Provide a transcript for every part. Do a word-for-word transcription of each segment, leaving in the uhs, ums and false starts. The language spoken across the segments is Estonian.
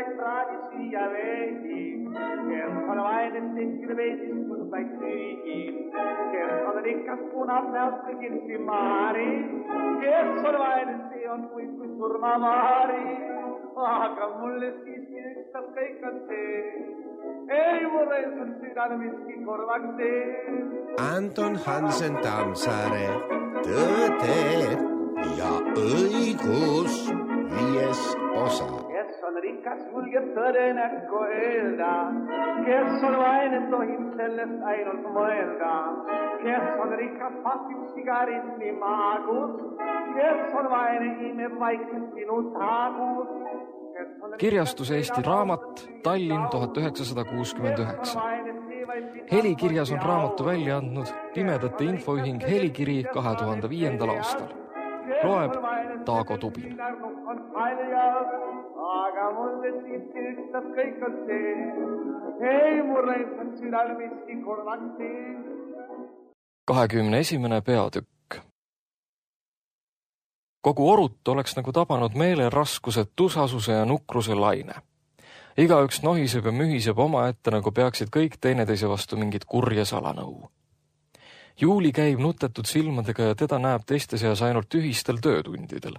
vaid praadi süüa veidi, kes on vaid tehtil veidistus vaid süügi, kes on rikas punab näost kõigil simaari, kes on vaid see on kui, kui surmamaari, aga mulle siiski ükstas kõik on see, ei mulle on südane miski korvaks see. Anton Hansen Tammsaare, Tõde ja õigus, viies osa. Kes on rikas, julgeb tõde näkku öelda, kes on vaene, tohib sellest ainult mõelda, kes on rikas, pasib sigaretti maagus, kes on vaene, imeb vaikselt sinu taagus. Kirjastus Eesti Raamat, Tallinn tuhat üheksasada kuuskümmend üheksa. Helikirjas on raamatu välja andnud Pimedate Infoühing Helikiri kahe tuhande viiendal aastal. Loeb Taago Tubin. Aga mulle siiski ükstas kõik on see, ei mulle on südal miski korvaks see. kahekümne esimene peatükk. Kogu Orut oleks nagu tabanud meeleraskused, tusasuse ja nukruse laine. Igaüks nohiseb ja mühiseb oma ette, nagu peaksid kõik teineteise vastu mingit kurja salanõu. Juuli käib nutetud silmadega ja teda näeb teiste seas ainult ühistel töötundidel.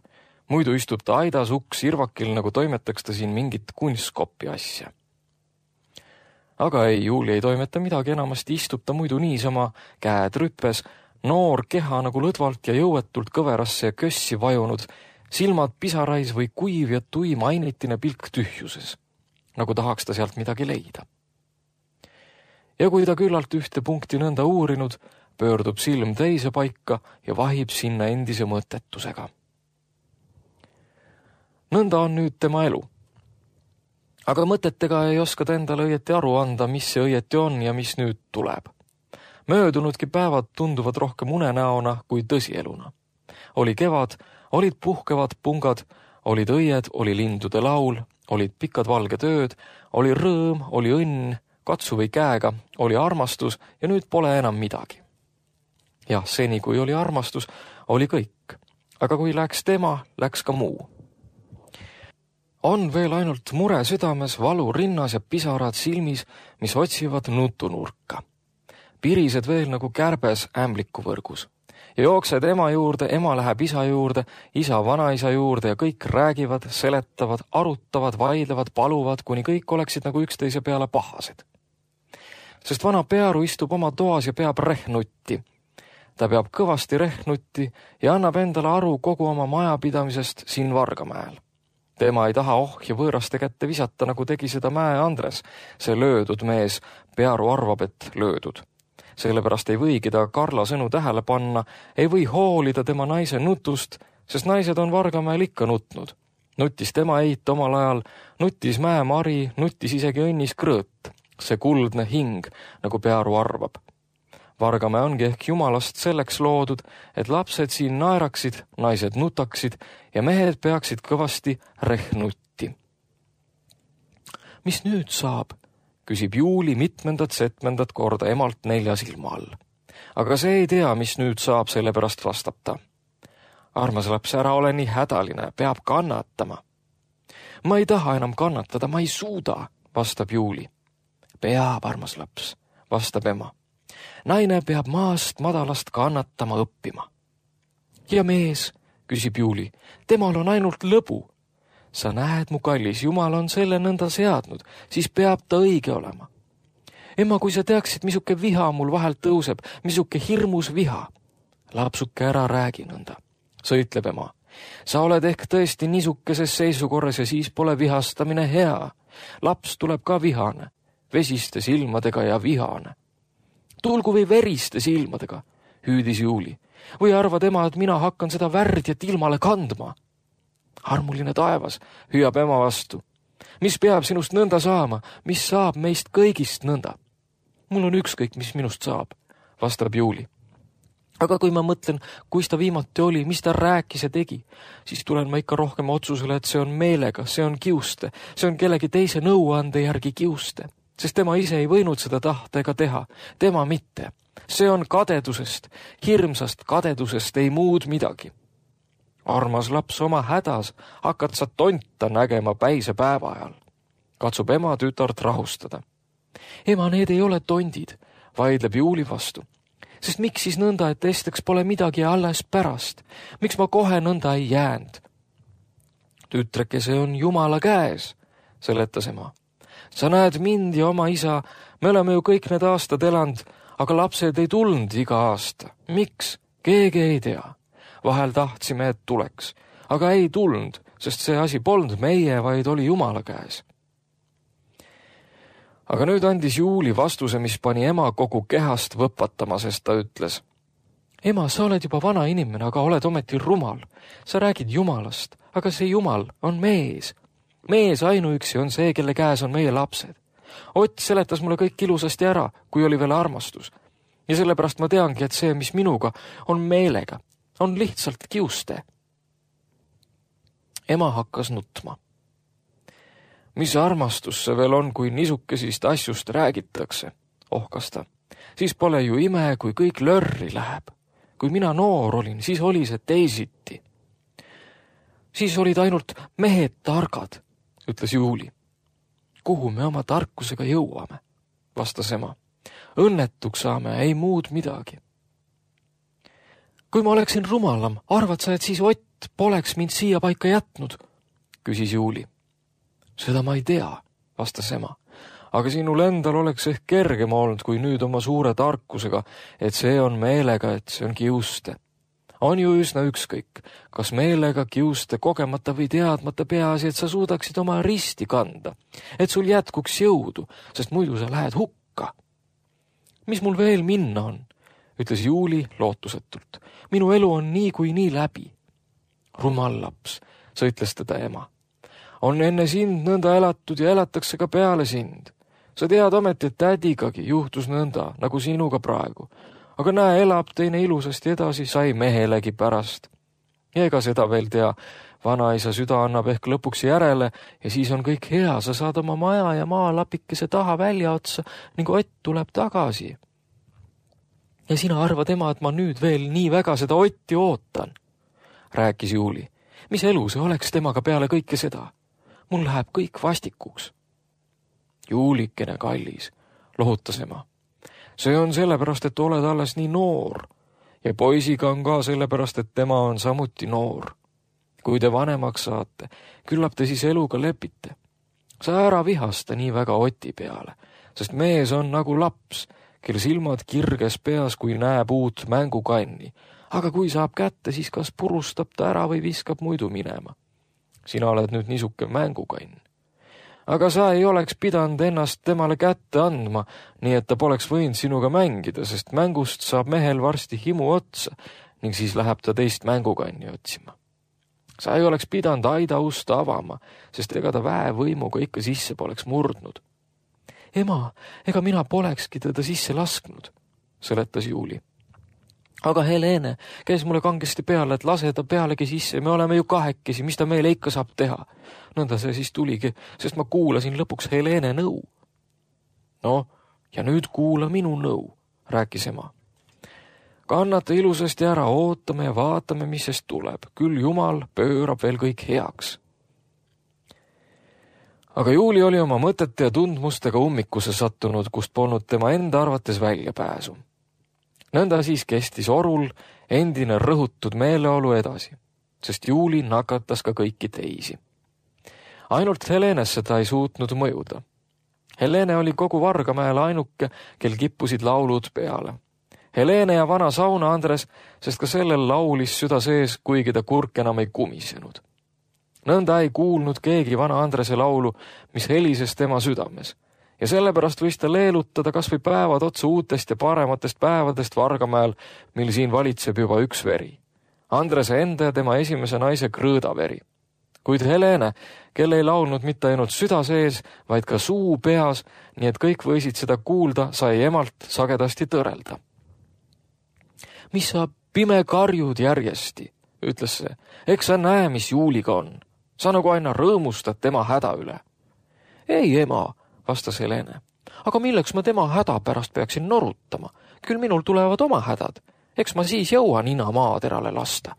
Muidu istub ta aidas uks irvakil, nagu toimetaks ta siin mingit kunstkopi asja. Aga ei, Juuli ei toimeta midagi, enamasti istub ta muidu niisama, käed rüppes, noor keha nagu lõdvalt ja jõuetult kõverasse ja kössi vajunud, silmad pisarais või kuiv ja tuim ainitine pilk tühjuses, nagu tahaks ta sealt midagi leida. Ja kui ta küllalt ühte punkti nõnda uurinud, pöördub silm teise paika ja vahib sinna endise mõttetusega. Nõnda on nüüd tema elu. Aga mõtetega ei oska ta endale õieti aru anda, mis see õieti on ja mis nüüd tuleb. Möödunudki päevad tunduvad rohkem unenäona kui tõsieluna. Oli kevad, olid puhkevad pungad, olid õied, oli lindude laul, olid pikad valged ööd, oli rõõm, oli õnn, katsu või käega, oli armastus ja nüüd pole enam midagi. Jah, seni kui oli armastus, oli kõik. Aga kui läks tema, läks ka muu. On veel ainult mure südames, valu rinnas ja pisarad silmis, mis otsivad nutunurka. Pirised veel nagu kärbes ämbliku võrgus. Ja jooksed ema juurde, ema läheb isa juurde, isa vanaisa juurde ja kõik räägivad, seletavad, arutavad, vaidlevad, paluvad, kuni kõik oleksid nagu üksteise peale pahased. Sest vana pearu istub oma toas ja peab rehnutti. Ta peab kõvasti rehnutti ja annab endale aru kogu oma majapidamisest siin Vargamäel. Tema ei taha ohja võõraste kätte visata, nagu tegi seda Mäe Andres. See löödud mees, pearu arvab, et löödud. Sellepärast ei võigi ta Karla sõnu tähele panna, ei või hoolida tema naise nutust, sest naised on Vargamäel ikka nutnud. Nutis tema eit omal ajal, nutis Mäe Mari, nutis isegi õnnis Krõõt. See kuldne hing, nagu pearu arvab. Vargamäe ongi ehk jumalast selleks loodud, et lapsed siin naeraksid, naised nutaksid ja mehed peaksid kõvasti rehnutti. Mis nüüd saab? Küsib Juuli mitmendat setmendat korda emalt nelja silma all. Aga see ei tea, mis nüüd saab, sellepärast vastab ta. Armas laps, ära ole nii hädaline, peab kannatama. Ma ei taha enam kannatada, ma ei suuda, vastab Juuli. Peab, armas laps, vastab ema. Naine peab maast madalast kannatama õppima. Ja mees, küsib Juuli, temal on ainult lõbu. Sa näed, mu kallis, Jumal on selle nõnda seadnud, siis peab ta õige olema. Ema, kui sa teaksid, misuke viha mul vahelt tõuseb, misuke hirmus viha. Lapsuke ära räägi nõnda, sõitleb ema. Sa oled ehk tõesti niisukeses seisukorras ja siis pole vihastamine hea. Laps tuleb ka vihane, vesiste silmadega ja vihane. Tulgu või veriste silmadega, hüüdis Juuli. Või arvad ema, et mina hakkan seda värdjat ilmale kandma? Armuline taevas, hüüab ema vastu. Mis peab sinust nõnda saama? Mis saab meist kõigist nõnda? Mul on ükskõik, mis minust saab, vastab Juuli. Aga kui ma mõtlen, kus ta viimati oli, mis ta rääkis ja tegi, siis tulen ma ikka rohkem otsusele, et see on meelega, see on kiuste, see on kellegi teise nõuande järgi kiuste. Sest tema ise ei võinud seda tahta ega teha, tema mitte. See on kadedusest, hirmsast kadedusest, ei muud midagi. Armas laps, oma hädas hakkad sa tonta nägema päise päeva ajal. katsub ema tütart rahustada. Ema, need ei ole tondid, vaidleb Juuli vastu. Sest miks siis nõnda, et esiteks pole midagi alles pärast? Miks ma kohe nõnda ei jäänud? Tütreke, see on Jumala käes, seletas ema. Sa näed mind ja oma isa, me oleme ju kõik need aastad elanud, aga lapsed ei tulnud iga aasta. Miks? Keegi ei tea. Vahel tahtsime, et tuleks, aga ei tulnud, sest see asi polnud meie, vaid oli Jumala käes. Aga nüüd andis Juuli vastuse, mis pani ema kogu kehast võpatama, sest ta ütles. Ema, sa oled juba vana inimene, aga oled ometi rumal. Sa räägid Jumalast, aga see Jumal on mees. Mees ainuüksi on see, kelle käes on meie lapsed. Ott seletas mulle kõik ilusasti ära, kui oli veel armastus. Ja sellepärast ma teangi, et see, mis minuga on meelega, on lihtsalt kiuste. Ema hakkas nutma. Mis armastus see veel on, kui nisukesist asjust räägitakse, ohkas ta. Siis pole ju ime, kui kõik lörri läheb. Kui mina noor olin, siis oli see teisiti. Siis olid ainult mehed targad, ütles Juuli. Kuhu me oma tarkusega jõuame, vastas ema. Õnnetuks saame, ei muud midagi. Kui ma oleksin rumalam, arvad sa, et siis Ott poleks mind siia paika jätnud, küsis Juuli. Seda ma ei tea, vastas ema. Aga sinul endal oleks ehk kergem olnud, kui nüüd oma suure tarkusega, et see on meelega, et see on kiuste. On ju üsna ükskõik, kas meelega kiuste kogemata või teadmata peaasi, et sa suudaksid oma risti kanda, et sul jätkuks jõudu, sest muidu sa lähed hukka. Mis mul veel minna on, ütles Juuli lootusetult. Minu elu on nii kui nii läbi. Rumal laps, sõitles teda ema. On enne sind nõnda elatud ja elatakse ka peale sind. Sa tead ometi, et tädigagi juhtus nõnda, nagu sinuga praegu. Aga näe, elab teine ilusasti edasi, sai mehelegi pärast. Ja ega seda veel tea, vanaisa süda annab ehk lõpuks järele ja siis on kõik hea, sa saad oma maja ja maalapikese taha välja otsa ning Ott tuleb tagasi. Ja sina arvad, ema, et ma nüüd veel nii väga seda Otti ootan, rääkis Juuli. Mis elu see oleks temaga peale kõike seda? Mul läheb kõik vastikuks. Juulikene kallis, lohutas ema. See on sellepärast, et oled alles nii noor ja poisiga on ka sellepärast, et tema on samuti noor. Kui te vanemaks saate, küllap te siis eluga lepite. Sa ära vihasta nii väga Oti peale, sest mees on nagu laps, kel silmad kirges peas, kui näeb uut mängukanni. Aga kui saab kätte, siis kas purustab ta ära või viskab muidu minema. Sina oled nüüd niisuke mängukann. Aga sa ei oleks pidanud ennast temale kätte andma, nii et ta poleks võinud sinuga mängida, sest mängust saab mehel varsti himu otsa ning siis läheb ta teist mängukanni otsima. Sa ei oleks pidanud aida usta avama, sest ega ta väevõimuga ikka sisse poleks murdnud. Ema, ega mina polekski teda sisse lasknud, seletas Juuli. Aga Helene käis mulle kangesti peale, et lase ta pealegi sisse, me oleme ju kahekesi, mis ta meile ikka saab teha. Nõnda see siis tuligi, sest ma kuulasin lõpuks Helene nõu. No, ja nüüd kuula minu nõu, rääkis ema. Kannata ilusasti ära, ootame ja vaatame, mis sest tuleb. Küll Jumal pöörab veel kõik heaks. Aga Juuli oli oma mõtete ja tundmustega ummikusse sattunud, kust polnud tema enda arvates väljapääsu. Nõnda siis kestis orul endine rõhutud meeleolu edasi, sest Juuli nakatas ka kõiki teisi. Ainult Helenesse ta ei suutnud mõjuda. Helene oli kogu Vargamäel ainuke, kel kippusid laulud peale. Helene ja vana sauna Andres, sest ka sellel laulis süda sees, kuigi ta kurk enam ei kumisenud. Nõnda ei kuulnud keegi vana Andrese laulu, mis helises tema südames. Ja sellepärast võis ta leelutada kas või päevad otsa uutest ja parematest päevadest Vargamäel, mil siin valitseb juba üks veri. Andrese enda ja tema esimese naise Krõõda veri. Kuid Helene, kel ei laulnud mitte ainult süda sees, vaid ka suu peas, nii et kõik võisid seda kuulda, sai emalt sagedasti tõrelda. Mis sa pime karjud järjesti, ütles see. Eks sa näe, mis Juuliga on. Sa nagu aina rõõmustad tema häda üle. Ei, ema, vastas Helene. Aga milleks ma tema häda pärast peaksin norutama? Küll minul tulevad oma hädad. Eks ma siis jõua nina maaterale lasta.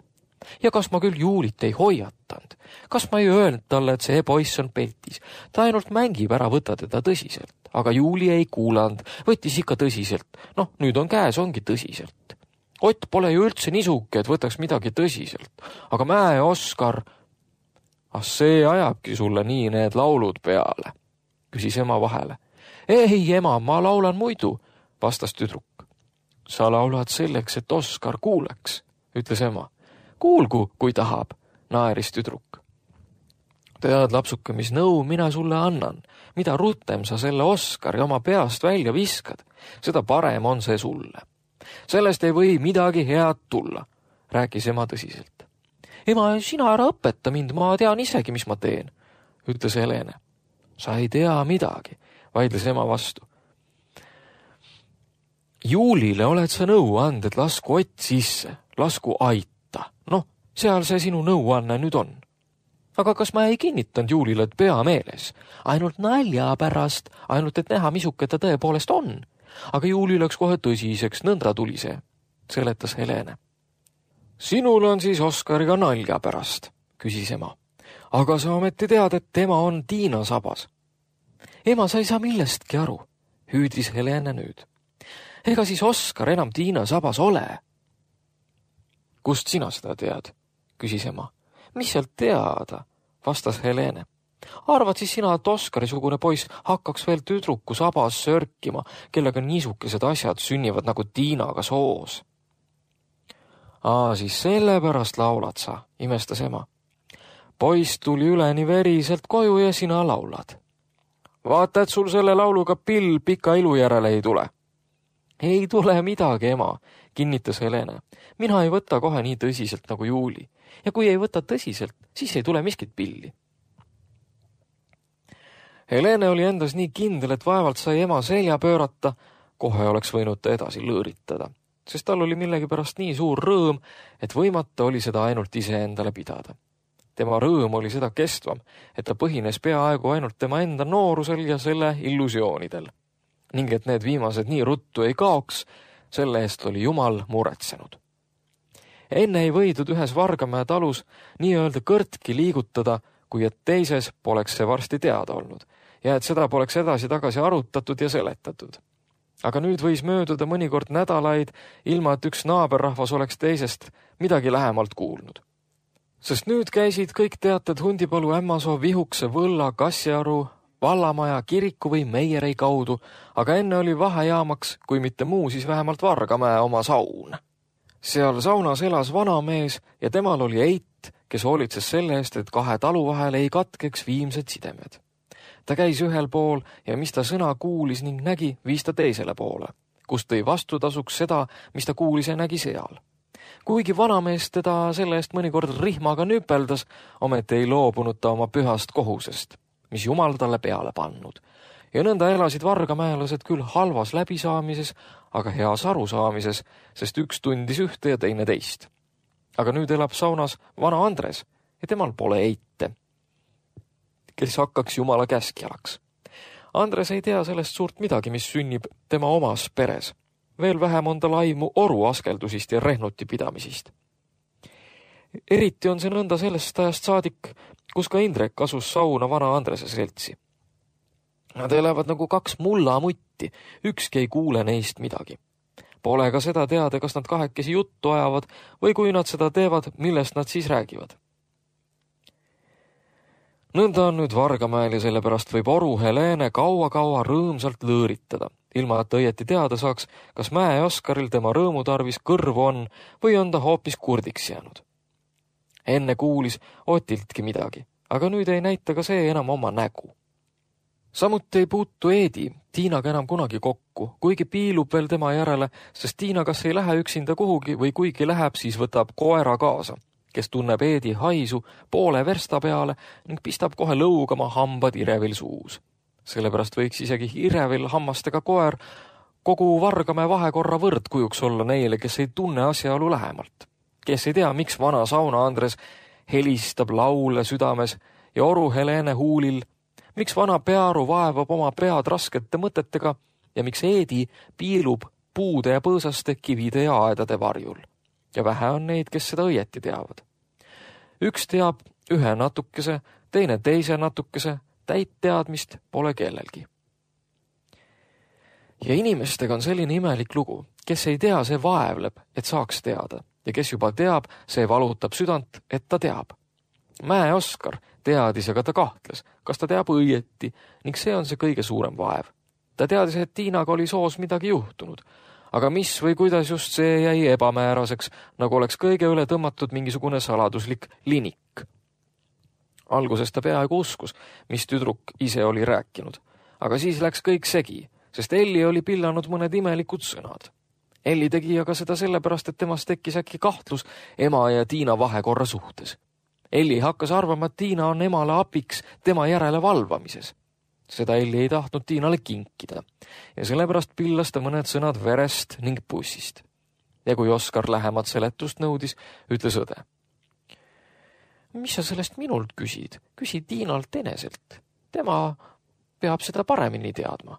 ja kas ma küll Juulit ei hoiatanud? Kas ma ei öelnud talle, et see poiss on petis? Ta ainult mängib, ära võta teda tõsiselt. Aga Juuli ei kuulanud, võttis ikka tõsiselt. Noh, nüüd on käes, ongi tõsiselt. Ott pole ju üldse nisuke, et võtaks midagi tõsiselt. Aga Mäe Oskar, ah see ajabki sulle nii need laulud peale, küsis ema vahele. Ei, ema, ma laulan muidu, vastas tüdruk. Sa laulad selleks, et Oskar kuuleks, ütles ema. Kuulgu, kui tahab, naeris tüdruk. Tead, lapsuke, mis nõu mina sulle annan. Mida rutem sa selle Oskari oma peast välja viskad, seda parem on see sulle. Sellest ei või midagi head tulla, rääkis ema tõsiselt. Ema, sina ära õpeta mind, ma tean isegi, mis ma teen, ütles Helene. Sa ei tea midagi, vaidles ema vastu. Juulile oled sa nõu and, et lasku Ott sisse, lasku aita. Noh, seal see sinu nõuanne nüüd on. Aga kas ma ei kinnitanud Juulile, et pea meeles? Ainult nalja pärast, ainult et näha, misuke ta tõepoolest on. Aga Juuli läks kohe tõsiseks, nõnda tuli see, seletas Helene. Sinul on siis Oskariga nalja pärast, küsis ema. Aga sa ometi tead, et tema on Tiina sabas. Ema, sa ei saa millestki aru, hüüdis Helene nüüd. Ega siis Oskar enam Tiina sabas ole. Kust sina seda tead, küsis ema. Mis sealt teada, vastas Helene. Arvad siis sina, et Oskari-sugune poiss hakkaks veel tüdruku sabas sörkima, kellega niisukesed asjad sünnivad nagu Tiinaga soos? Aa, siis sellepärast laulad sa, imestas ema. Poiss tuli üleni veriselt koju ja sina laulad. Vaata, et sul selle lauluga pill pika ilu järele ei tule. Ei tule midagi, ema, kinnitas Helene. Mina ei võta kohe nii tõsiselt nagu Juuli. Ja kui ei võta tõsiselt, siis ei tule miskit pilli. Helene oli endas nii kindel, et vaevalt sai ema selja pöörata, kohe oleks võinud ta edasi lõõritada, sest tal oli millegipärast nii suur rõõm, et võimata oli seda ainult ise endale pidada. Tema rõõm oli seda kestvam, et ta põhines peaaegu ainult tema enda noorusel ja selle illusioonidel. Ning et need viimased nii ruttu ei kaoks, selle eest oli Jumal muretsenud. Enne ei võidud ühes Vargamäe talus nii-öelda kõrtki liigutada, kui et teises poleks see varsti teada olnud ja et seda poleks edasi-tagasi arutatud ja seletatud. Aga nüüd võis mööduda mõnikord nädalaid, ilma et üks naaberrahvas oleks teisest midagi lähemalt kuulnud. Sest nüüd käisid kõik teated Hundipalu, Ämmasoo, Vihukse, Võlla, Kassiaru, Vallamaja, kiriku või Meierei kaudu, aga enne oli vahejaamaks, kui mitte muu, siis vähemalt Vargamäe oma saun. Seal saunas elas vanamees ja temal oli eit, kes hoolitses selle eest, et kahe talu vahel ei katkeks viimsed sidemed. Ta käis ühel pool ja mis ta sõna kuulis ning nägi, viis ta teisele poole, kus tõi vastutasuks seda, mis ta kuulis ja nägi seal. Kuigi vanamees teda selle eest mõnikord rihmaga nüpeldas, ometi ei loobunud ta oma pühast kohusest, mis Jumal talle peale pannud. Ja nõnda elasid vargamäelased küll halvas läbisaamises, aga heas arusaamises, sest üks tundis ühte ja teine teist. Aga nüüd elab saunas vana Andres ja temal pole eite, kes hakkaks Jumala käskjalaks. Andres ei tea sellest suurt midagi, mis sünnib tema omas peres. Veel vähem on tal aimu oru askeldusist ja rehnuti pidamisist. Eriti on see nõnda sellest ajast saadik, kus ka Indrek asus sauna vana Andrese seltsi. Nad elavad nagu kaks mullamutti, ükski ei kuule neist midagi. Pole ka seda teada, kas nad kahekesi juttu ajavad või kui nad seda teevad, millest nad siis räägivad. Nõnda on nüüd Vargamäel ja sellepärast võib oru Helene kaua-kaua rõõmsalt lõõritada, ilma et õieti teada saaks, kas Mäe Oskaril tema rõõmu tarvis kõrvu on või on ta hoopis kurdiks jäänud. Enne kuulis Otiltki midagi, aga nüüd ei näita ka see enam oma nägu. Samuti ei puutu Eedi Tiinaga enam kunagi kokku, kuigi piilub veel tema järele, sest Tiina kas ei lähe üksinda kuhugi või kuigi läheb, siis võtab koera kaasa, kes tunneb Eedi haisu poole versta peale ning pistab kohe lõugama hambad Irevil suus. Sellepärast võiks isegi Irevil hammastega koer kogu Vargamäe vahekorra võrdkujuks olla neile, kes ei tunne asjaolu lähemalt. Kes ei tea, miks vana sauna Andres helistab laule südames ja oru Helene huulil, miks vana Pearu vaevab oma pead raskete mõtetega ja miks Eedi piilub puude ja põõsaste, kivide ja aedade varjul. Ja vähe on neid, kes seda õieti teavad. Üks teab ühe natukese, teine teise natukese, täit teadmist pole kellelgi. Ja inimestega on selline imelik lugu, kes ei tea, see vaevleb, et saaks teada, ja kes juba teab, see valutab südant, et ta teab. Mäe Oskar teadis, aga ta kahtles, kas ta teab õieti, ning see on see kõige suurem vaev. Ta teadis, et Tiinaga oli soos midagi juhtunud, aga mis või kuidas just see jäi ebamääraseks, nagu oleks kõige üle tõmmatud mingisugune saladuslik linik. Alguses ta peaaegu uskus, mis tüdruk ise oli rääkinud, aga siis läks kõik segi, sest Elli oli pillanud mõned imelikud sõnad. Elli tegi aga seda sellepärast, et temast tekkis äkki kahtlus ema ja Tiina vahekorra suhtes. Elli hakkas arvama, et Tiina on emale apiks tema järele valvamises. Seda Elli ei tahtnud Tiinale kinkida ja sellepärast pillas ta mõned sõnad verest ning pussist. Ja kui Oskar lähemat seletust nõudis, ütles õde. Mis sa sellest minult küsid? Küsi Tiinalt eneselt. Tema peab seda paremini teadma.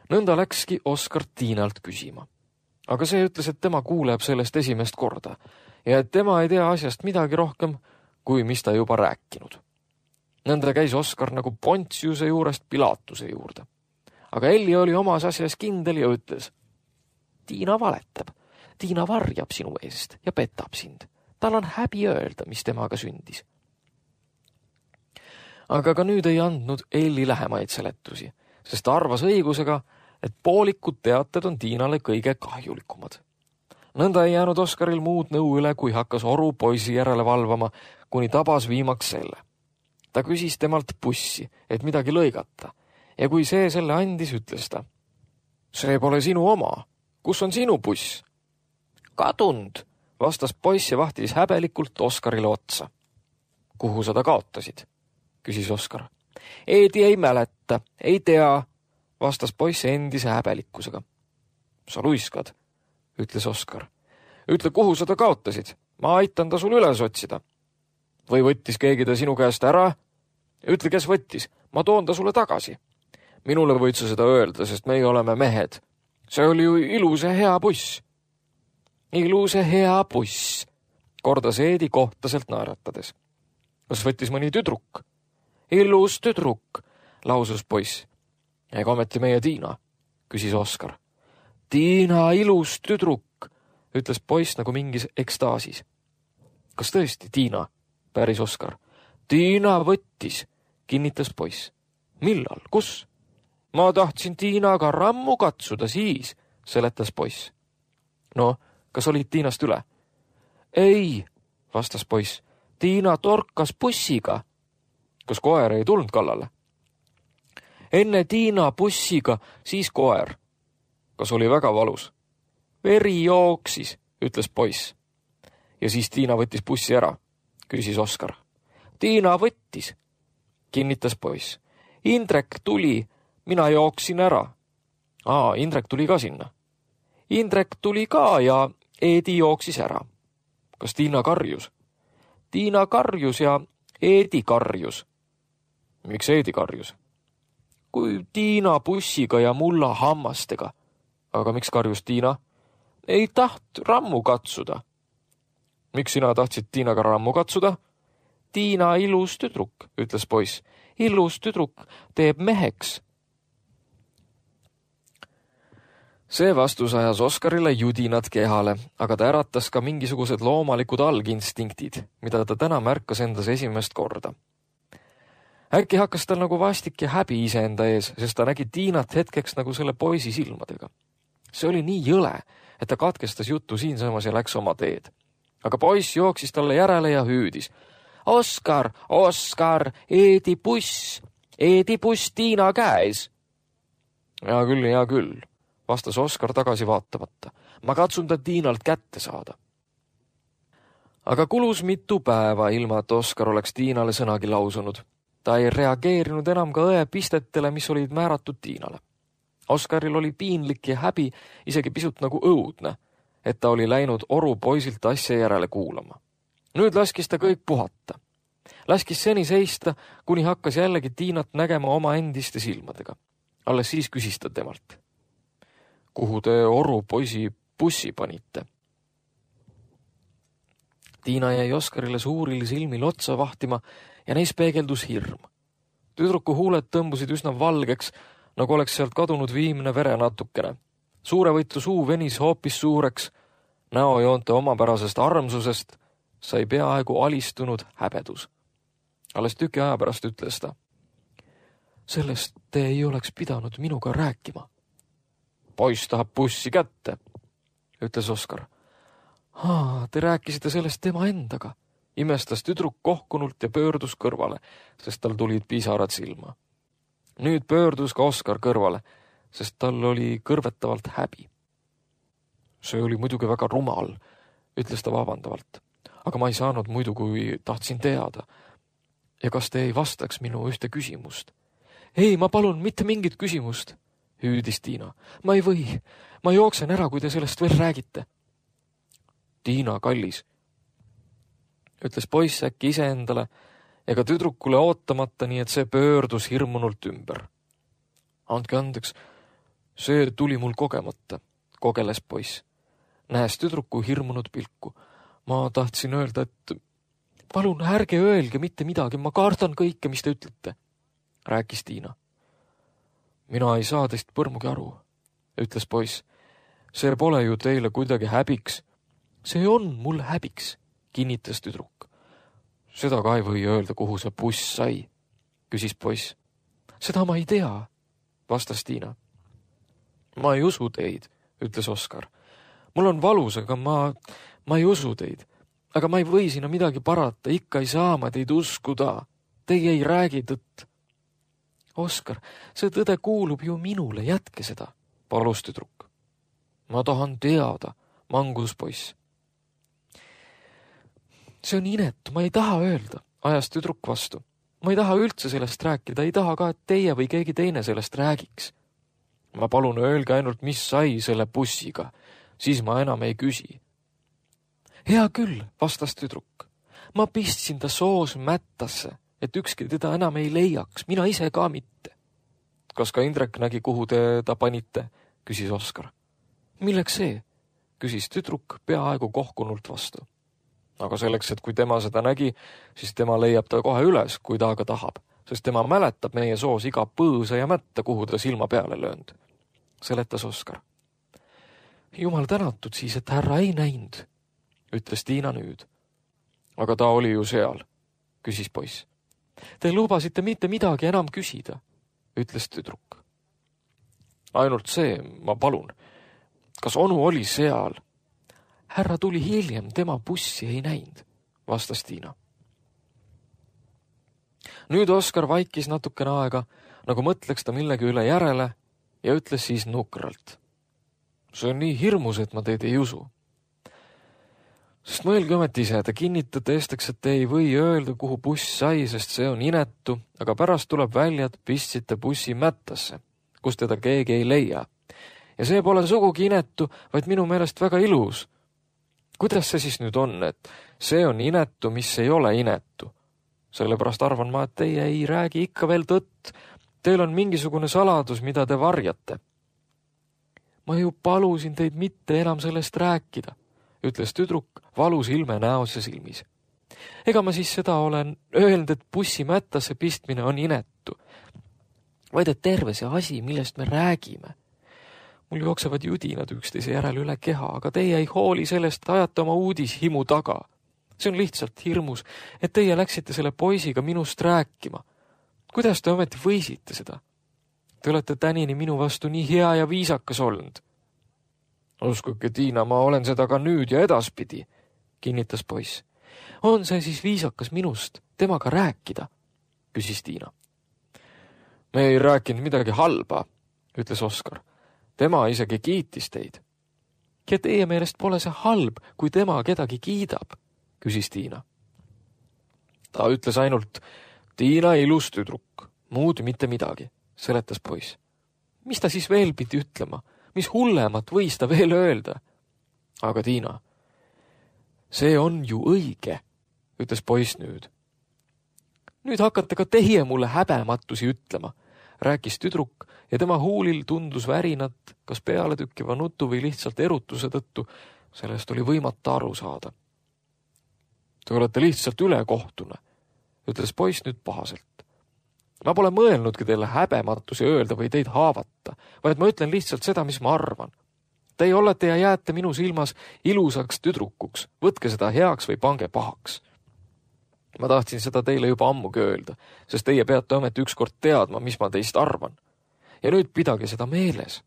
Nõnda läkski Oskar Tiinalt küsima. Aga see ütles, et tema kuuleb sellest esimest korda ja et tema ei tea asjast midagi rohkem, kui mis ta juba rääkinud. Nõnda käis Oskar nagu Pontiuse juurest Pilatuse juurde. Aga Elli oli omas asjas kindel ja ütles, Tiina valetab, Tiina varjab sinu eest ja petab sind. Tal on häbi öelda, mis temaga sündis. Aga ka nüüd ei andnud Elli lähemaid seletusi, sest ta arvas õigusega, et poolikud teated on Tiinale kõige kahjulikumad. Nõnda ei jäänud Oskaril muud nõu üle, kui hakkas oru poisi järele valvama, kuni tabas viimaks selle. Ta küsis temalt pussi, et midagi lõigata, ja kui see selle andis, ütles ta. See pole sinu oma. Kus on sinu buss? Kadunud, vastas poiss ja vahtis häbelikult Oskarile otsa. Kuhu sa ta kaotasid? Küsis Oskar. Eedi ei mäleta, ei tea, vastas poiss endise häbelikkusega. Sa luiskad, ütles Oskar. Ütle, kuhu sa ta kaotasid. Ma aitan ta sul üles otsida. Või võttis keegi ta sinu käest ära? Ütle, kes võttis. Ma toon ta sulle tagasi. Minule võid sa seda öelda, sest meie oleme mehed. See oli ju ilus ja hea buss. Ilus ja hea buss, kordas Eedi kohtaselt naeratades. Kas võttis mõni tüdruk? Ilus tüdruk, lausus poiss. Ega ometi meie Tiina, küsis Oskar. Tiina, ilus tüdruk, ütles poiss nagu mingis ekstaasis. Kas tõesti Tiina, päris Oskar? Tiina võttis, kinnitas poiss. Millal, kus? Ma tahtsin Tiinaga rammu katsuda siis, seletas poiss. No, kas olid Tiinast üle? Ei, vastas poiss. Tiina torkas bussiga. Kas koer ei tulnud kallale? Enne Tiina bussiga, siis koer. Kas oli väga valus? Veri jooksis, ütles poiss. Ja siis Tiina võttis bussi ära, küsis Oskar. Tiina võttis, kinnitas poiss. Indrek tuli, mina jooksin ära. Aa, Indrek tuli ka sinna. Indrek tuli ka ja Eedi jooksis ära. Kas Tiina karjus? Tiina karjus ja Eedi karjus. Miks Eedi karjus? Kui Tiina bussiga ja mulla hammastega. Aga miks karjus Tiina? Ei taht rammu katsuda. Miks sina tahtsid Tiinaga rammu katsuda? Tiina ilus tüdruk, ütles poiss. Ilus tüdruk teeb meheks. See vastus ajas Oskarile judinad kehale, aga ta äratas ka mingisugused loomalikud alginstiktid, mida ta täna märkas endas esimest korda. Äkki hakkas tal nagu vastik ja häbi iseenda ees, sest ta nägi Tiinat hetkeks nagu selle poisi silmadega. See oli nii jõle, et ta katkestas juttu siinsamas ja läks oma teed. Aga poiss jooksis talle järele ja hüüdis. Oskar, Oskar, Eedi buss, Eedi buss Tiina käes. Hea küll, hea küll, vastas Oskar tagasi vaatamata. Ma katsun ta Tiinalt kätte saada. Aga kulus mitu päeva ilma, et Oskar oleks Tiinale sõnagi lausunud. Ta ei reageerinud enam ka õe pistetele, mis olid määratud Tiinale. Oskaril oli piinlik ja häbi, isegi pisut nagu õudne, et ta oli läinud oru poisilt asja järele kuulama. Nüüd laskis ta kõik puhata. Laskis seni seista, kuni hakkas jällegi Tiinat nägema oma endiste silmadega. Alles siis küsis ta temalt. Kuhu te oru poisi bussi panite? Tiina jäi Oskarile suuril silmil otsa vahtima ja neis peegeldus hirm. Tüdruku huuled tõmbusid üsna valgeks, nagu oleks sealt kadunud viimne verenatukene. Suurevõitu suu venis hoopis suureks, näojoonte omapärasest armsusest sai peaaegu alistunud häbedus. Alles tüki aja pärast ütles ta. Sellest te ei oleks pidanud minuga rääkima. Poiss tahab bussi kätte, ütles Oskar. Haa, te rääkisite sellest tema endaga. Imestas tüdruk kohkunult ja pöördus kõrvale, sest tal tulid pisarad silma. Nüüd pöördus ka Oskar kõrvale, sest tal oli kõrvetavalt häbi. See oli muidugi väga rumal, ütles ta vabandavalt. Aga ma ei saanud muidu, kui tahtsin teada. Ja kas te ei vastaks minu ühte küsimust? Ei, ma palun, mitte mingit küsimust, hüüdis Tiina. Ma ei või, ma jooksen ära, kui te sellest veel räägite. Tiina, kallis, ütles poiss äkki iseendale ega tüdrukule ootamata, nii et see pöördus hirmunult ümber. Andke andeks, see tuli mul kogemata, kogeles poiss, nähes tüdruku hirmunud pilku. Ma tahtsin öelda, et palun ärge öelge mitte midagi, ma kardan kõike, mis te ütlete, rääkis Tiina. Mina ei saa teist põrmugi aru, ütles poiss. See pole ju teile kuidagi häbiks. See on mul häbiks, kinnitas tüdruk. Seda ka ei või öelda, kuhu see buss sai, küsis poiss. Seda ma ei tea, vastas Tiina. Ma ei usu teid, ütles Oskar. Mul on valus, aga ma, ma ei usu teid. Aga ma ei või sinna midagi parata, ikka ei saa ma teid uskuda. Teie ei räägi tõtt. Oskar, see tõde kuulub ju minule, jätke seda, palus tüdruk. Ma tahan teada, mangus poiss. See on inetu, ma ei taha öelda, ajas tüdruk vastu. Ma ei taha üldse sellest rääkida, ei taha ka, et teie või keegi teine sellest räägiks. Ma palun öelge ainult, mis sai selle bussiga, siis ma enam ei küsi. Hea küll, vastas tüdruk. Ma pistsin ta soos mättasse, et ükski teda enam ei leiaks, mina ise ka mitte. Kas ka Indrek nägi, kuhu te ta panite, küsis Oskar. Milleks see, küsis tüdruk peaaegu kohkunult vastu. Aga selleks, et kui tema seda nägi, siis tema leiab ta kohe üles, kui ta aga tahab, sest tema mäletab meie soos iga põõsa ja mätta, kuhu ta silma peale löönd, seletas Oskar. Jumal tänatud siis, et härra ei näinud, ütles Tiina nüüd. Aga ta oli ju seal, küsis poiss. Te lubasite mitte midagi enam küsida, ütles tüdruk. Ainult see, ma palun. Kas onu oli seal? Härra tuli hiljem, tema bussi ei näinud, vastas Tiina. Nüüd Oskar vaikis natukene aega, nagu mõtleks ta millegi üle järele ja ütles siis nukralt. See on nii hirmus, et ma teid ei usu. Sest mõelge ometi ise, te kinnitate esteks, et te ei või öelda, kuhu buss sai, sest see on inetu, aga pärast tuleb välja, et pistsite bussi mättasse, kus teda keegi ei leia. Ja see pole sugugi inetu, vaid minu meelest väga ilus. Kuidas see siis nüüd on, et see on inetu, mis ei ole inetu? Sellepärast arvan ma, et teie ei räägi ikka veel tõtt. Teil on mingisugune saladus, mida te varjate. Ma ju palusin teid mitte enam sellest rääkida, ütles tüdruk valus ilme näos ja silmis. Ega ma siis seda olen öelnud, et bussi mättasse pistmine on inetu, vaid et terve see asi, millest me räägime. Mul jooksevad judinad üksteise järel üle keha, aga teie ei hooli sellest, ajate oma uudishimu taga. See on lihtsalt hirmus, et teie läksite selle poisiga minust rääkima. Kuidas te ometi võisite seda? Te olete tänini minu vastu nii hea ja viisakas olnud. Uskuge, Tiina, ma olen seda ka nüüd ja edaspidi, kinnitas poiss. On see siis viisakas minust temaga rääkida, küsis Tiina. Me ei rääkinud midagi halba, ütles Oskar. Tema isegi kiitis teid. Ja teie meelest pole see halb, kui tema kedagi kiidab, küsis Tiina. Ta ütles ainult, Tiina ilus tüdruk, muud mitte midagi, seletas poiss. Mis ta siis veel pidi ütlema? Mis hullemat võis ta veel öelda? Aga Tiina, see on ju õige, ütles poiss nüüd. Nüüd hakkate ka teie mulle häbematusi ütlema, rääkis tüdruk ja tema huulil tundus värinat, kas peale tükkiva nutu või lihtsalt erutuse tõttu, sellest oli võimata aru saada. Te olete lihtsalt ülekohtune, ütles poiss nüüd pahaselt. Ma pole mõelnudki teile häbematusi öelda või teid haavata, vaid ma ütlen lihtsalt seda, mis ma arvan. Teie olete ja jääte minu silmas ilusaks tüdrukuks, võtke seda heaks või pange pahaks. Ma tahtsin seda teile juba ammugi öelda, sest teie peate ometi ükskord teadma, mis ma teist arvan. Ja nüüd pidage seda meeles.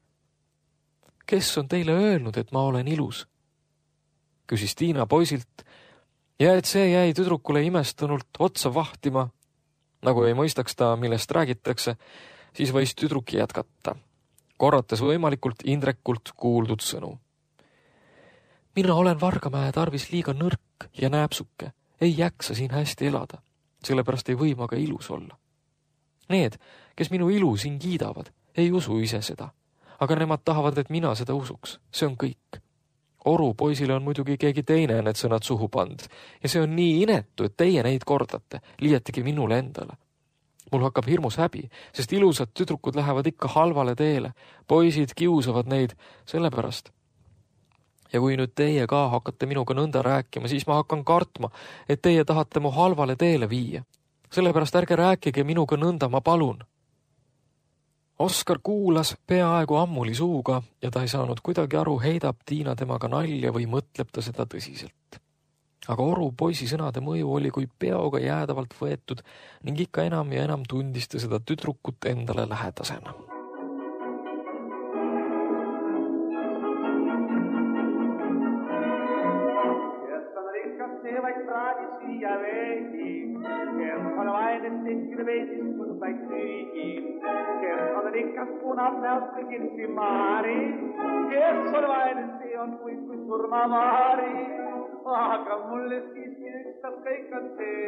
Kes on teile öelnud, et ma olen ilus? Küsis Tiina poisilt, ja et see jäi tüdrukule imestunult otsa vahtima, nagu ei mõistaks ta, millest räägitakse, siis võis tüdruk jätkata, korrates võimalikult Indrekult kuuldud sõnu. Mina olen Vargamäe tarvis liiga nõrk ja nääpsuke, ei jaksa siin hästi elada, sellepärast ei või ma ka ilus olla. Need, kes minu ilu siin kiidavad, ei usu ise seda, aga nemad tahavad, et mina seda usuks, see on kõik. Oru poisile on muidugi keegi teine need sõnad suhu pand ja see on nii inetu, et teie neid kordate, liietigi minule endale. Mul hakkab hirmus häbi, sest ilusad tüdrukud lähevad ikka halvale teele, poisid kiusavad neid sellepärast. Ja kui nüüd teie ka hakkate minuga nõnda rääkima, siis ma hakkan kartma, et teie tahate mu halvale teele viia. Sellepärast ärge rääkige minuga nõnda, ma palun. Oskar kuulas peaaegu ammuli suuga ja ta ei saanud kuidagi aru, heidab Tiina temaga nalja või mõtleb ta seda tõsiselt. Aga Oru poisi sõnade mõju oli kui peoga jäädavalt võetud ning ikka enam ja enam tundis ta seda tüdrukut endale lähedasena. Se vai tradisi ja vehi, kes on vainen tekkide veisis sun päiksyigi, kes on rikas punat näosta kirsi maari, kes on vainen see on kui kui surmavaari, aga mulle siiski ükstas kõik on see,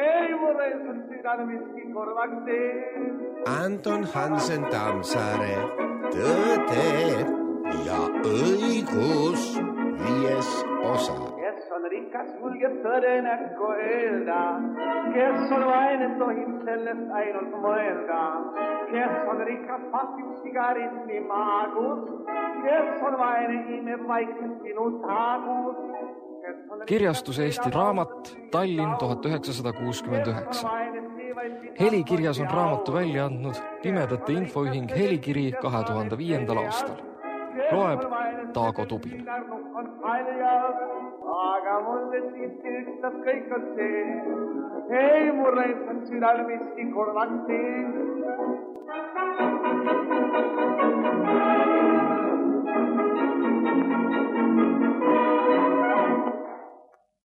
ei mulle sun südan miski korvaks see. Anton Hansen Tammsaare, Tõde ja õigus, viies osa. On rikas julge tõde näkku öelda, kes on vainen tohib sellest ainult mõelda, kes on rikas pasib sigaritni maagus, kes on vainen imeb vaikselt sinu taagus. Kirjastus Eesti Raamat, Tallinn tuhat üheksasada kuuskümmend üheksa. Helikirjas on raamatu välja andnud Pimedate infoühing Helikiri kahe tuhande viiendal aastal. Loeb Taago Tubin. Aga mulle siiski ükstas kõik on see, ei mulle on südal miski korvaks see.